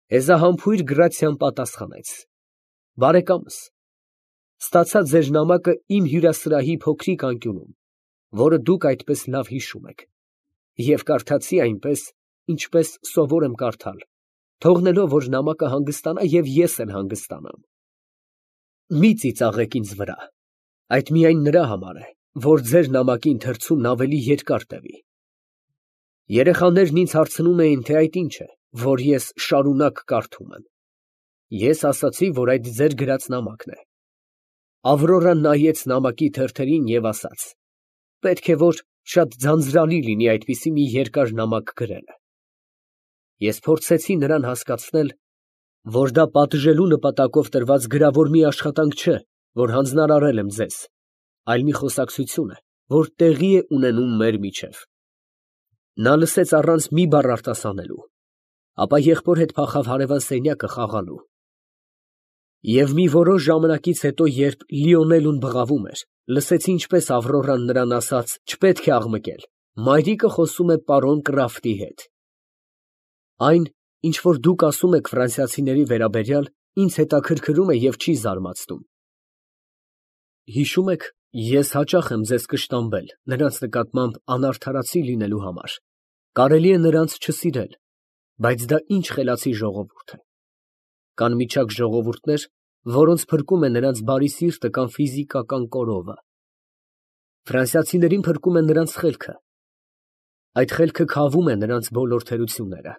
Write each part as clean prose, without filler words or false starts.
Հեզահամբույր գրացիան պատասխանեց. «Բարեկամս, ստացա ձեր նամակը իմ հյուրասրահի փոքրիկ անկյունում, որը դուք այդպես լավ հիշում եք, և կարդացի այնպես, ինչպես սովոր եմ կարդալ, թողնելով, որ նամակը հանգստանա և ես էլ հանգստանամ։ Մի ծիծաղեք ինձ վրա, այդ միայն նրա համար է, որ ձեր նամակի ընթերցումն ավելի երկար տևի։ Երեխաներն ինձ հարցնում էին, թե այդ ինչ է, որ ես շարունակ կարդում եմ։ Ես ասացի, որ այդ ձեր գրած նամակն է։ Ավրորան նայեց նամակի թերթերին և ասաց. պետք է որ շատ ձանձրալի լինի այդպիսի մի երկար նամակ գրելը։ Ես փորձեցի նրան հասկացնել, որ դա պատժելու նպատակով տրված գրավոր մի աշխատանք չէ, որ հանձնարարել եմ ձեզ, այլ մի խոսակցություն է, որ տեղի է ունենում մեր միջև։ Նա լսեց առանց մի բառ արտասանելու, ապա եղբոր հետ փախավ հարևան սենյակը խաղալու։ Եվ մի որոշ ժամանակից հետո, երբ Լիոնելուն բղավում էր, լսեցի ինչպես Ավրորան նրան ասաց չպետք է աղմկել, մայրիկը խոսում է պարոն Կրաֆտի հետ։ Այն, ինչ որ դուք ասում եք ֆրանսիացիների վերաբերյալ, ինձ հետաքրքրում է և չի զարմացնում։ Հիշում եք, ես հաճախ եմ ձեզ կշտամբել նրանց նկատմամբ անարդարացի լինելու համար, կարելի է նրանց չսիրել, բայց դա ինչ խելացի ժողովուրդ է։ Կան միջակ ժողովուրդներ, որոնց փրկում է նրանց բարի սիրտը կամ ֆիզիկական կորովը։ Ֆրանսիացիներին փրկում է նրանց խելքը։ Այդ խելքը քավում է նրանց բոլոր թերությունները։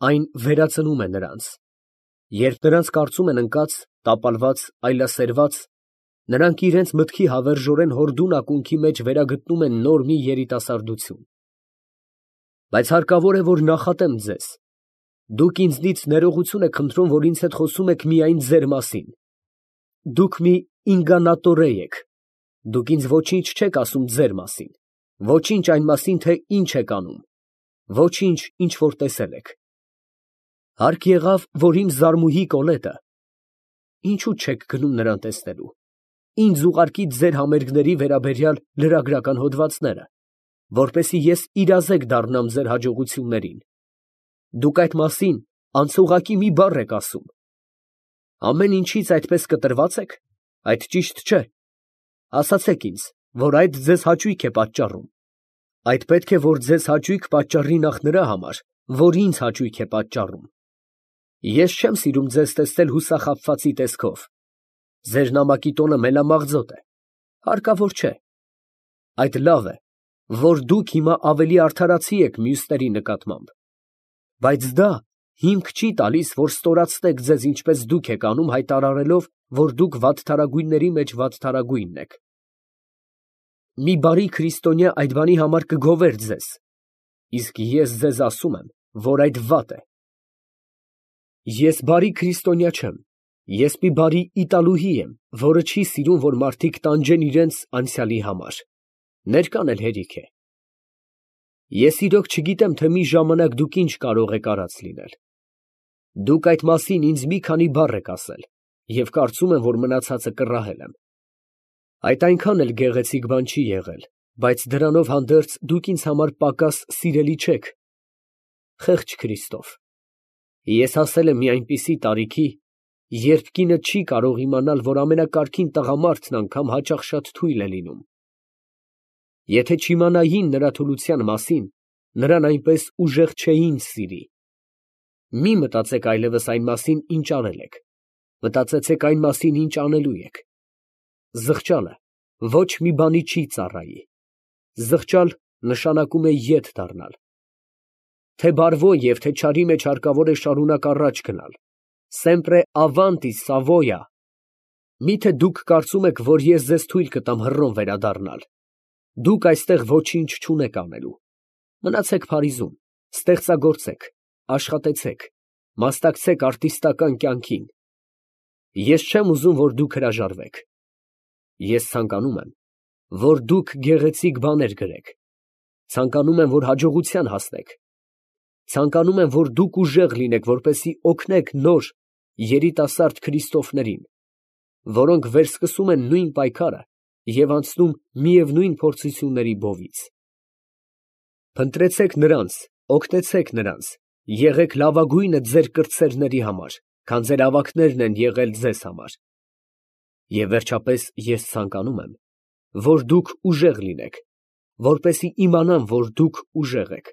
Այն վերածնում է նրանց։ Երբ նրանց կարծում են ընկած, տապալված, այլասերված, նրանք իրենց մտքի հավերժորեն հորդուն ակունքի մեջ վերագտնում են նոր մի երիտասարդություն։ Բայց հարկավոր է, որ նախատեմ ձեզ. դուք ինձնից ներողություն եք խնդրում, որ ինձ հետ խոսում եք միայն ձեր մասին։ Դուք մի ինգանատորե եք։ Դուք ինձ ոչինչ չեք ասում ձեր մասին, ոչինչ այն մասին, թե ինչ եք անում, ոչինչ, ինչ որ տեսել եք։ Հարկ եղավ, որ իմ զարմուհի Կոլետը, ինչու չեք գնում նրան տեսնելու, ինձ ուղարկի ձեր համերգների վերաբերյալ լրագրական հոդվածները, որպեսզի ես իրազեկ դառնամ ձեր հաջողություններին։ Դուք այդ մասին անցուղակի մի բառ եք ասում։ Ամեն ինչից այդպես կտրված եք, այդ ճիշտ չէ։ Ասացեք ինձ, որ այդ ձեզ հաճույք է պատճառում։ Այդ պետք է, որ ձեզ հաճույք պատճառի նախ նրա համար, որ ինձ հաճույք է պատճառում։ Ես չեմ սիրում ձեզ տեսնել հուսախաբվածի տեսքով։ Ձեր նամակի տոնը մելամաղձոտ է, հարկավոր չէ։ Այդ լավ է, որ դուք հիմա ավելի արդարացի եք մյուսների նկատմամբ։ Բայց դա հիմք չի տալիս, որ ստորացնեք ձեզ, ինչպես դուք եք անում, հայտարարելով, որ դուք վատթարագույնների մեջ վատթարագույնն եք։ Մի բարի քրիստոնյա այդ բանի համար կգովեր ձեզ, իսկ ես ձեզ ասում եմ, որ այդ վատ է։ Ես բարի քրիստոնյա չեմ, ես մի բարի իտալուհի եմ, որը չի սիրում, որ մարդիկ տանջեն իրենց անցյալի համար, ներկան էլ հերիք է։ Ես իրոք չգիտեմ, թե մի ժամանակ դուք ինչ կարող եք արած լինել։ Դուք այդ մասին ինձ մի քանի բառ եք ասել, և կարծում եմ, որ մնացածը կռահել եմ։ Այդ այնքան էլ գեղեցիկ բան չի եղել, բայց դրանով հանդերձ դուք ինձ համար պակաս սիրելի չեք։ Խեղճ Քրիստոֆ, ես հասել եմ մի այնպիսի տարիքի, երբ կինը չի կարող իմանալ, որ ամենակարգին տղամարդն անգամ հաճախ շատ թույլ է լինում։ Եթե չիմանային նրա թուլության մասին, նրան այնպես ուժեղ չէին սիրի։ Մի մտածեք այլևս այն մասին, ինչ արել եք, մտածեցեք այն մասին, ինչ անելու եք։ Զղջալը ոչ մի բանի չի ծառայի։ Զղջալ նշանակում է ետ դառնալ։ Թե բարվո և թե չարի մեջ հարկավոր է շարունակ առաջ գնալ։ Sempre avanti, Savoia։ Միթե դուք կարծում եք, որ ես ձեզ թույլ կտամ հռոմ վերադառնալ։ Դուք այստեղ ոչինչ չունեք անելու։ Մնացեք Փարիզում, ստեղծագործեք, աշխատեցեք, մասնակցեք արտիստական կյանքին։ Ես չեմ ուզում, որ դուք հրաժարվեք։ Ես ցանկանում եմ, որ դուք գեղեցիկ բաներ գրեք։ Ցանկանում եմ, որ հաջողության հասնեք։ Ցանկանում եմ, որ դուք ուժեղ լինեք, որպեսզի օգնեք նոր երիտասարդ Քրիստոֆներին, որոնք վերսկսում են նույն պայքարը և անցնում միևնույն փորձությունների բովից։ Փնտրեցեք նրանց, օգնեցեք նրանց Եղեք լավագույնը ձեր կրտսերների համար, քան ձեր ավագներն են եղել ձեզ համար։ Եվ վերջապես ես ցանկանում եմ, որ դուք ուժեղ լինեք, որպեսզի իմանամ, որ դուք ուժեղ եք։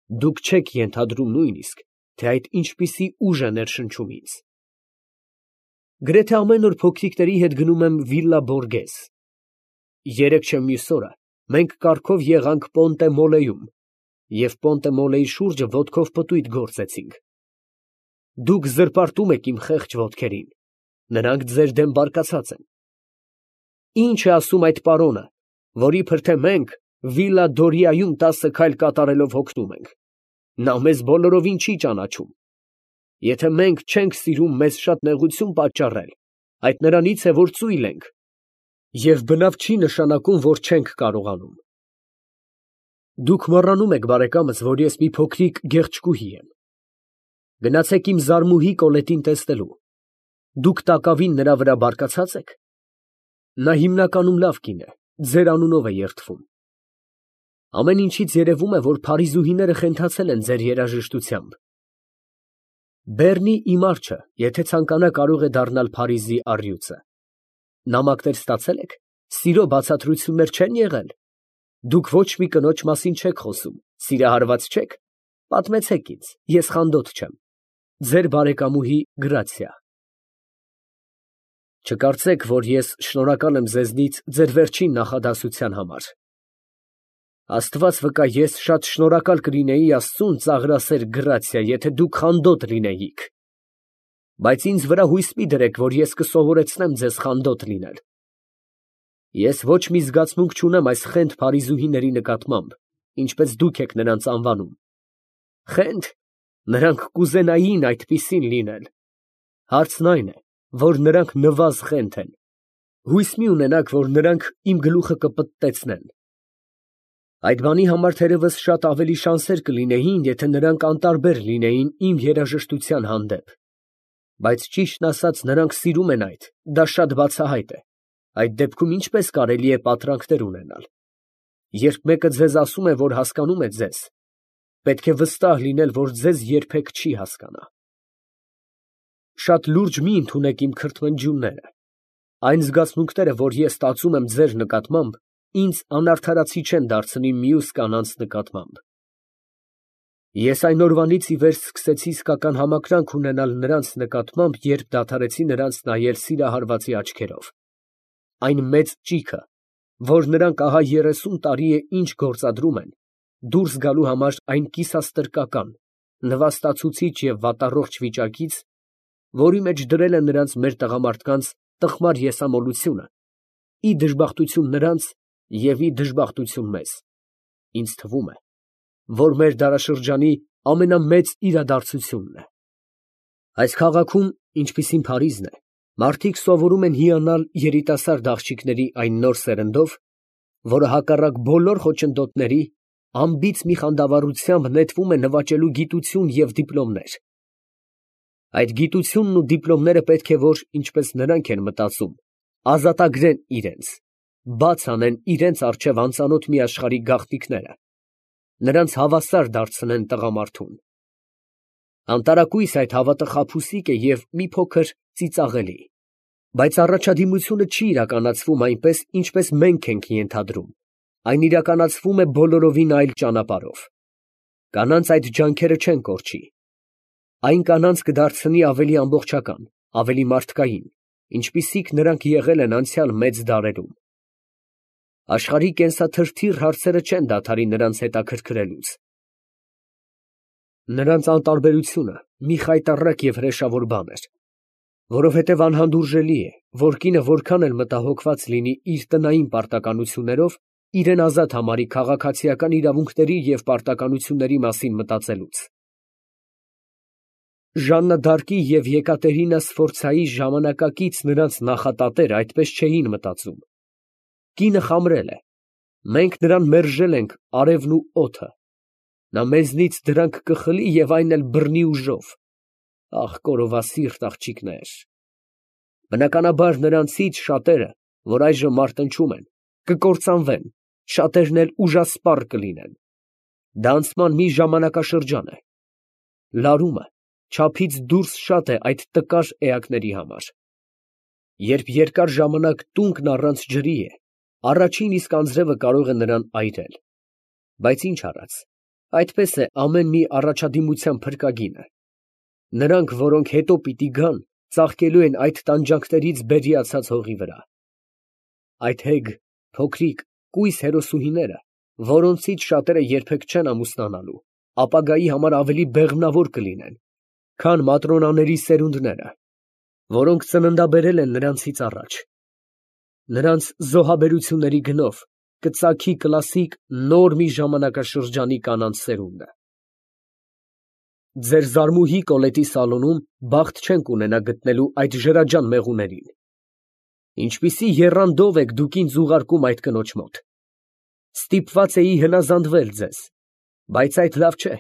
Դուք չեք ենթադրում նույնիսկ, թե այդ ինչպիսի ուժ է ներշնչում ինձ։ Գրեթե ամեն օր փոքրիկների հետ գնում եմ Վիլլա Բորգես։ Երեկ չէ մյուս օրը մենք կառքով եղանք Պոնտե Մոլեում և Պոնտե Մոլեի շուրջը ոտքով պտույտ գործեցինք։ Դուք զրպարտում եք իմ խեղճ ոտքերին, նրանք ձեր դեմ բարկացած են։ Ինչ է ասում այդ պարոնը, որ իբր թե մենք Վիլլա Դորիայում 10 քայլ կատարելով հոգնում ենք։ Նա մեզ բոլորովին չի ճանաչում։ Եթե մենք չենք սիրում մեզ շատ նեղություն պատճառել, այդ նրանից է, որ ծույլ ենք, և բնավ չի նշանակում, որ չենք կարողանում։ Դուք մոռանում եք, բարեկամս, որ ես մի փոքրիկ գեղեցկուհի եմ։ Գնացեք իմ զարմուհի Կոլետին տեսնելու։ Դուք տակավին նրա վրա բարկացած եք։ Նա հիմնականում լավ կին է, ձեր անունով է երդվում։ Ամեն ինչից երևում է, որ փարիզուհիները խենթացել են ձեր երաժշտությամբ։ Բեռնի իմ արջը, եթե ցանկանա, կարող է դառնալ Փարիզի առյուծը։ Նամակներ ստացե՞լ եք, սիրո բացատրություններ չեն եղել։ Դուք ոչ մի կնոջ մասին չեք խոսում, սիրահարված չեք։ Պատմեցեք ինձ, ես խանդոտ չեմ։ Ձեր բարեկամուհի Գրացիա։ Չկարծեք, որ ես շնորհակալ եմ ձեզնից ձեր վերջին նախադասության համար։ Աստված վկա, ես շատ շնորհակալ կլինեի Աստծուն, ծաղրասեր Գրացիա, եթե դուք խանդոտ լինեիք։ Բայց ինձ վրա հույս մի դրեք, որ ես կսովորեցնեմ ձեզ խանդոտ լինել։ Ես ոչ մի զգացմունք չունեմ այս խենթ փարիզուհիների նկատմամբ, ինչպես դուք եք նրանց անվանում։ Խենթ, նրանք կուզենային այդպիսին լինել։ Հարցն այն է, որ նրանք նվազ խենթ են։ Հույս մի ունենաք, որ նրանք իմ գլուխը կպտտեցնեն։ Այդ բանի համար թերևս շատ ավելի շանսեր կլինեին, եթե նրանք անտարբեր լինեին իմ երաժշտության հանդեպ։ Բայց ճիշտն ասած, նրանք սիրում են այդ, դա շատ բացահայտ է։ Այդ դեպքում ինչպես կարելի է պատրանքներ ունենալ։ Երբ մեկը ձեզ ասում է, որ հասկանում է ձեզ, պետք է վստահ լինել, որ ձեզ երբեք չի հասկանա։ Շատ լուրջ մի ընդունեք իմ քրթմնջյունները։ Այն զգացմունքները, որ ես ստացում եմ ձեր նկատմամբ, ինձ անարդարացի չեն դարձնի մյուս կանանց նկատմամբ։ Ես այն օրվանից ի վեր սկսեցի իսկական համակրանք ունենալ նրանց նկատմամբ, երբ դադարեցի նրանց նայել սիրահարվածի աչքերով։ Այն մեծ ճիգը, որ նրանք ահա 30 տարի է ինչ գործադրում են, դուրս գալու համար այն կիսաստրկական, նվաստացուցիչ և վատառողջ վիճակից, որի մեջ դրել է նրանց մեր տղամարդկանց տխմար եսամոլությունը, ի դժբախտություն նրանց և ի դժբախտություն մեզ, ինձ թվում է, որ մեր դարաշրջանի ամենամեծ իրադարձությունն է։ Այս քաղաքում, ինչպիսին Փարիզն է, մարդիկ սովորում են հիանալ երիտասարդ աղջիկների այն նոր սերնդով, որը հակառակ բոլոր խոչընդոտների, անբիծ մի խանդավառությամբ նետվում է նվաճելու գիտություն և դիպլոմներ։ Այդ գիտությունն ու դիպլոմները պետք է որ, ինչպես նրանք են մտածում, ազատագրեն իրենց, բաց անեն իրենց առջև անծանոթ մի աշխարհի գաղտնիքները, նրանց հավասար դարձնեն տղամարդուն։ Անտարակույս այդ հավատը խաբուսիկ է և մի փոքր ծիծաղելի, բայց առաջադիմությունը չի իրականացվում այնպես, ինչպես մենք ենք ենթադրում, այն իրականացվում է բոլորովին այլ ճանապարհով։ Կանանց այդ ջանքերը չեն կորչի։ Այն կանանց կդարձնի ավելի ամբողջական, ավելի մարդկային, ինչպիսիք նրանք եղել են անցյալ մեծ դարերում։ Աշխարհի կենսաթրթիռ հարցերը չեն դադարի նրանց հետաքրքրելուց։ Նրանց անտարբերությունը մի խայտառակ և հրեշավոր բան էր, որովհետև անհանդուրժելի է, որ կինը որքան էլ մտահոգված լինի իր տնային պարտականություններով, իրեն ազատ համարի քաղաքացիական իրավունքների և պարտականությունների մասին մտածելուց։ Ժաննա դ'Արկի և Եկատերինա Սֆորցայի ժամանակակից նրանց նախատատերը այդպես չէին մտածում։ Կինը խամրել է, մենք նրան մերժել ենք արևն ու օդը, նա մեզնից դրանք կխլի և այն էլ բռնի ուժով։ Ախ, կորովասիրտ աղջիկներ։ Բնականաբար նրանցից շատերը, որ այժմ մարտնչում են, կկործանվեն, շատերն էլ ուժասպառ կլինեն։ Դա անցման մի ժամանակաշրջան է, լարումը չափից դուրս շատ է այդ տկար էակների համար։ Երբ երկար ժամանակ տունկն առանց ջրի է, առաջին իսկ անձրևը կարող է նրան այրել։ Բայց ինչ արած, այդպես է ամեն մի առաջադիմության փրկագինը։ Նրանք, որոնք հետո պիտի գան, ծաղկելու են այդ տանջանքներից բերիացած հողի վրա։ Այդ հեգ, փոքրիկ, կույս հերոսուհիները, որոնցից շատերը երբեք չեն ամուսնանալու, ապագայի համար ավելի բեղմնավոր կլինեն, քան Մատրոնաների սերունդները, որոնք ծննդաբերել են նրանցից առաջ։ Նրանց զոհաբերությունների գնով կծագի կլասիկ նոր մի ժամանակաշրջանի կանանց սերունդը։ Ձեր զարմուհի Կոլետի սալոնում բախտ չենք ունենա գտնելու այդ ժրաջան մեղուներին։ Ինչպիսի եռանդով եք դուք ինձ ուղարկում այդ կնոջ մոտ։ Ստիպված էի հնազանդվել ձեզ, բայց այդ լավ չէ,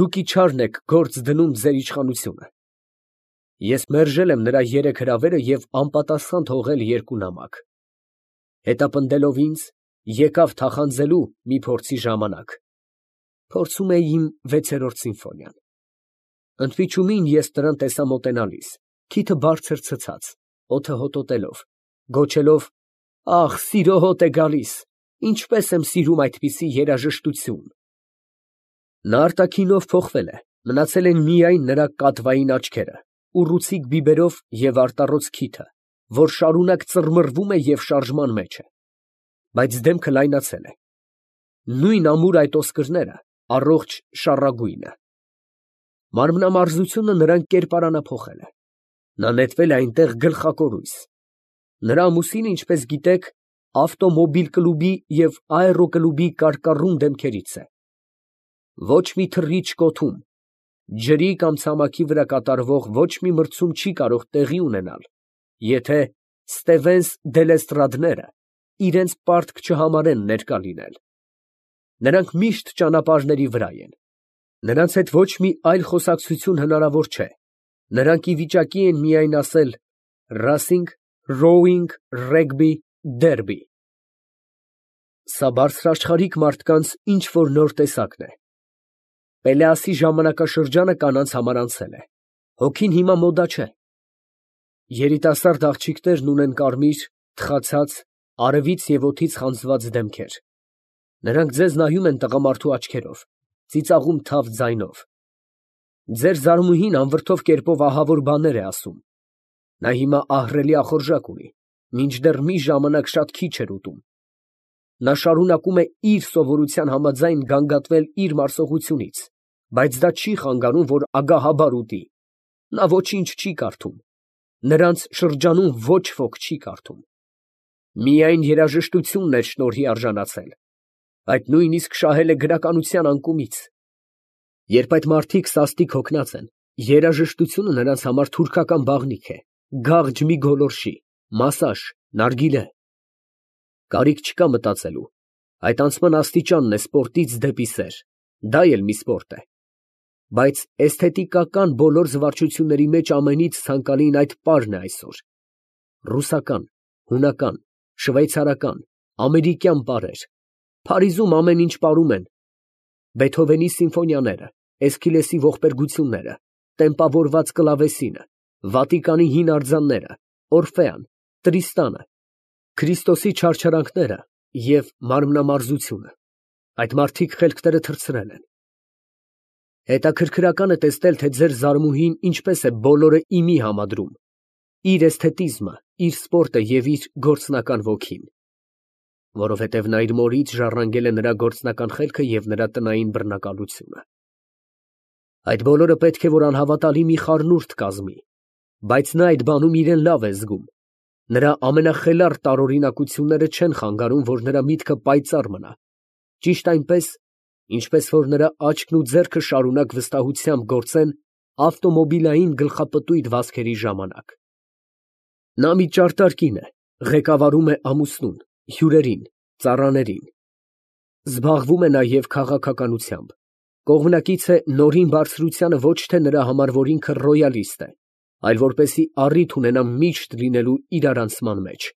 դուք իչարն եք գործ դնում ձեր իշխանությունը։ Ես մերժել եմ նրա 3 հրավերը և անպատասխան թողել 2 նամակ։ Հետապնդելով ինձ, եկավ թախանձելու մի փորձի ժամանակ։ Փորձում էի իմ 6-րդ սիմֆոնիան։ Ընդմիջումին ես նրան տեսա մոտենալիս, քիթը բարձր ցցած, օդը հոտոտելով, գոչելով. «Ախ, սիրո հոտ է գալիս, ինչպես եմ սիրում այդպիսի երաժշտություն»։ Նա արտաքինով փոխվել է, մնացել են միայն նրա կատվային աչքերը, ուռուցիկ բիբերով և արտառոց քիթը, որ շարունակ ծռմռվում է և շարժման մեջ է, բայց դեմքը լայնացել է։ Նույն ամուր այդ ոսկրները, առողջ շառագույնը։ Մարմնամարզությունը նրան կերպարանափոխել է։ Նա նետվել է այնտեղ գլխակորույս։ Նրա ամուսինը, ինչպես գիտեք, ավտոմոբիլ կլուբի և աերոկլուբի կարկառուն դեմքերից է։ Ոչ մի թռիչք օդում, ջրի կամ ցամաքի վրա կատարվող ոչ մի մրցում չի կարող տեղի ունենալ, եթե Ստևենս դե Լեստրադները իրենց պարտք չհամարեն ներկա լինել։ Նրանք միշտ ճանապարհների վրա են։ Նրանց հետ ոչ մի այլ խոսակցություն հնարավոր չէ։ Նրանք ի վիճակի են միայն ասել «Ռասինգ, Ռոուինգ, Ռեգբի, Դերբի»։ Սա բարձրաշխարհիկ մարդկանց ինչ որ նոր տեսակն է։ Պելեասի ժամանակաշրջանը կանանց համար անցել է։ Հոգին հիմա մոդա չէ։ Երիտասարդ աղջիկներն ունեն կարմիր, թխացած, արևից և օդից խանձված դեմքեր։ Նրանք ձեզ նայում են տղամարդու աչքերով, ծիծաղում թավ ձայնով։ Ձեր զարմուհին անվրդով կերպով ահավոր բաներ է ասում։ Նա հիմա ահռելի ախորժակ ունի, մինչդեռ մի ժամանակ շատ քիչ էր ուտում։ Նա շարունակում է իր սովորության համաձայն գանգատվել իր մարսողությունից, բայց դա չի խանգարում, որ ագահաբար ուտի։ Նա ոչինչ չի կարդում։ Նրանց շրջանում ոչ ոք չի կարդում։ Միայն երաժշտությունն էր շնորհի արժանացել։ Այդ նույնիսկ շահել է գրականության անկումից։ Երբ այդ մարդիկ սաստիկ հոգնած են, երաժշտությունը նրանց համար թուրքական բաղնիք է, գաղջ մի գոլորշի, մասաժ, նարգիլե։ Կարիք չկա մտածելու, այդ անցման աստիճանն է սպորտից դեպի սեր, դա էլ մի սպորտ է։ Բայց էսթետիկական բոլոր զվարճությունների մեջ ամենից ցանկալին այդ պարն է այսօր։ Ռուսական, հունական, շվեյցարական, ամերիկյան պարեր։ Փարիզում ամեն ինչ պարում են. Բեթհովենի սիմֆոնիաները, Էսքիլեսի ողբերգությունները, տեմպավորված կլավեսինը, Վատիկանի հին արձանները, Օրֆեան, Տրիստանը, Քրիստոսի չարչարանքները և մարմնամարզությունը։ Այդ մարդիկ խելքները թռցրել են։ Հետաքրքրական է տեսնել, թե ձեր զարմուհին ինչպես է բոլորը իմի համադրում. իր էսթետիզմը, իր սպորտը և իր գործնական ոգին։ Որովհետև նա իր մորից ժառանգել է նրա գործնական խելքը և նրա տնային բռնակալությունը։ Այդ բոլորը պետք է որ անհավատալի մի խառնուրդ կազմի, բայց նա այդ բանում իրեն լավ է զգում։ Նրա ամենախելառ տարօրինակությունները չեն խանգարում, որ նրա միտքը պայծառ մնա, ճիշտ այնպես, ինչպես որ նրա աչքն ու ձեռքը շարունակ վստահությամբ գործեն ավտոմոբիլային գլխապտույտ վազքերի ժամանակ։ Նա մի ճարտար կին է, ղեկավարում է ամուսնուն, հյուրերին, ծառաներին։ Զբաղվում է նաև քաղաքականությամբ, կողմնակից է նորին բարձրությանը ոչ թե նրա համար, որ ինքը ռոյալիստ է, այլ որպեսզի առիթ ունենա միշտ լինելու իրարանցման մեջ։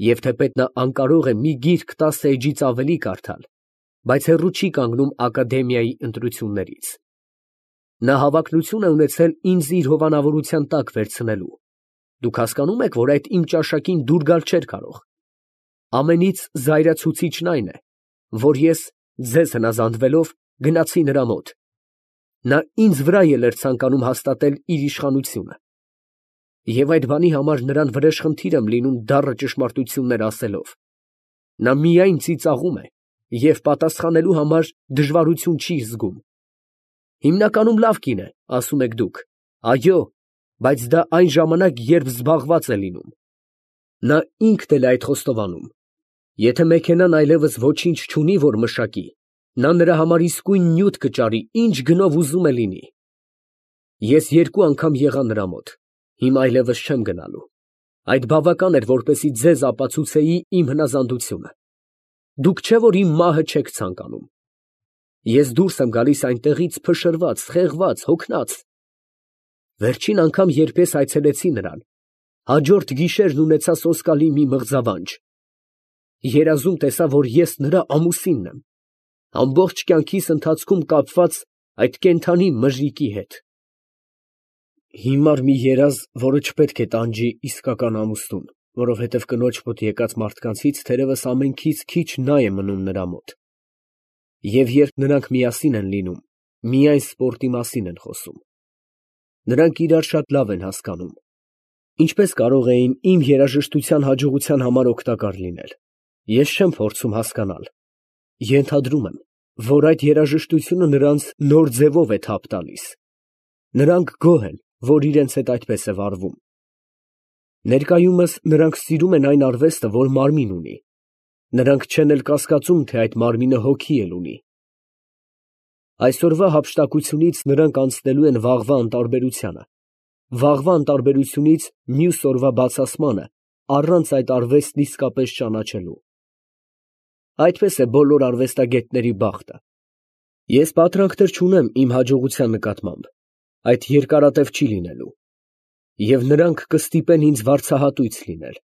Եվ թեպետ նա անկարող է մի գիրք 10 էջից ավելի կարդալ, բայց հեռու չի կանգնում ակադեմիայի ընտրություններից։ Նա հավակնություն է ունեցել ինձ իր հովանավորության տակ վերցնելու։ Դուք հասկանում եք, որ այդ իմ ճաշակին դուր գալ չէր կարող։ Ամենից զայրացուցիչն այն է, որ ես ձեզ հնազանդվելով գնացի նրա մոտ։ Նա ինձ վրա էլ էր ցանկանում հաստատել իր իշխանությունը։ Եվ այդ բանի համար նրան վրեժխնդիր եմ լինում դառը ճշմարտություններ ասելով։ Նա միայն ծիծաղում է և պատասխանելու համար դժվարություն չի զգում։ Հիմնականում լավ կին է, ասում եք դուք։ Այո, բայց դա այն ժամանակ, երբ զբաղված է լինում։ Նա ինքն էլ է այդ խոստովանում։ Եթե մեքենան այլևս ոչինչ չունի, որ մշակի, նա նրա համար իսկույն նյութ կճարի, ինչ գնով ուզում է լինի։ Ես 2 անգամ եղա նրա մոտ, հիմա այլևս չեմ գնալու։ Այդ բավական էր, որպեսզի ձեզ ապացուցեի իմ հնազանդությունը։ Դուք չէ՞ որ իմ մահը չեք ցանկանում։ Ես դուրս եմ գալիս այնտեղից փշրված, խեղված, հոգնած։ Վերջին անգամ, երբ ես այցելեցի նրան, հաջորդ գիշերն ունեցա սոսկալի մի մղձավանջ։ Երազում տեսա, որ ես նրա ամուսինն եմ, ամբողջ կյանքիս ընթացքում կապված այդ կենդանի մժիկի հետ։ Հիմար մի երազ, որը չպետք է տանջի իսկական ամուսնուն, որովհետև կնոջ մոտ եկած մարդկանցից թերևս ամենքից քիչ նա է մնում նրա մոտ։ Եվ երբ նրանք միասին են լինում, միայն սպորտի մասին են խոսում։ Նրանք իրար շատ լավ են հասկանում։ Ինչպես կարող էին իմ երաժշտության հաջողության համար օգտակար լինել։ Ես չեմ փորձում հասկանալ։ Ենթադրում եմ, որ այդ երաժշտությունը նրանց նոր ձևով է թափ տալիս։ Նրանք գոհ են, որ իրենց հետ այդպես է վարվում։ Ներկայումս նրանք սիրում են այն արվեստը, որ մարմին ունի։ Նրանք չեն էլ կասկածում, թե այդ մարմինը հոգի էլ ունի։ Այսօրվա հափշտակությունից նրանք անցնելու են վաղվա անտարբերությանը, վաղվա անտարբերությունից մյուս օրվա բացասմանը, առանց այդ արվեստն իսկապես ճանաչելու։ Այդպես է բոլոր արվեստագետների բախտը։ Ես պատրանքներ չունեմ իմ հաջողության նկատմամբ, այդ երկարատև չի լինելու, և նրանք կստիպեն ինձ վարձահատույց լինել։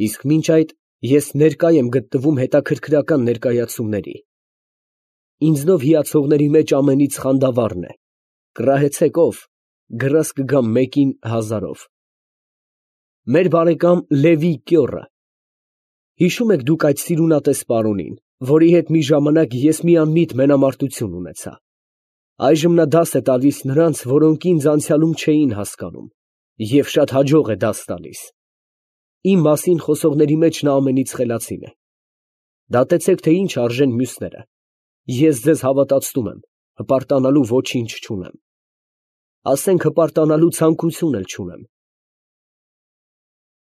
Իսկ մինչ այդ ես ներկա եմ գտնվում հետաքրքրական ներկայացումների։ Ինձնով հիացողների մեջ ամենից խանդավառն է. կռահեցեք ով, գրազ կգամ մեկին 1000-ով։ Մեր բարեկամ Լևի Կյոռը։ Հիշում եք դուք այդ սիրունատես պարոնին, որի հետ մի ժամանակ ես մի անմիտ մենամարտություն ունեցա։ Այժմ նա դաս է տալիս նրանց, որոնք ինձ անցյալում չէին հասկանում, և շատ հաջող է դաս տալիս։ Իմ մասին խոսողների մեջ նա ամենից խելացին է։ Դատեցեք, թե ինչ արժեն մյուսները։ Ես ձեզ հավատացնում եմ, հպարտանալու ոչինչ չունեմ։ Ասենք հպարտանալու ցանկություն էլ չունեմ,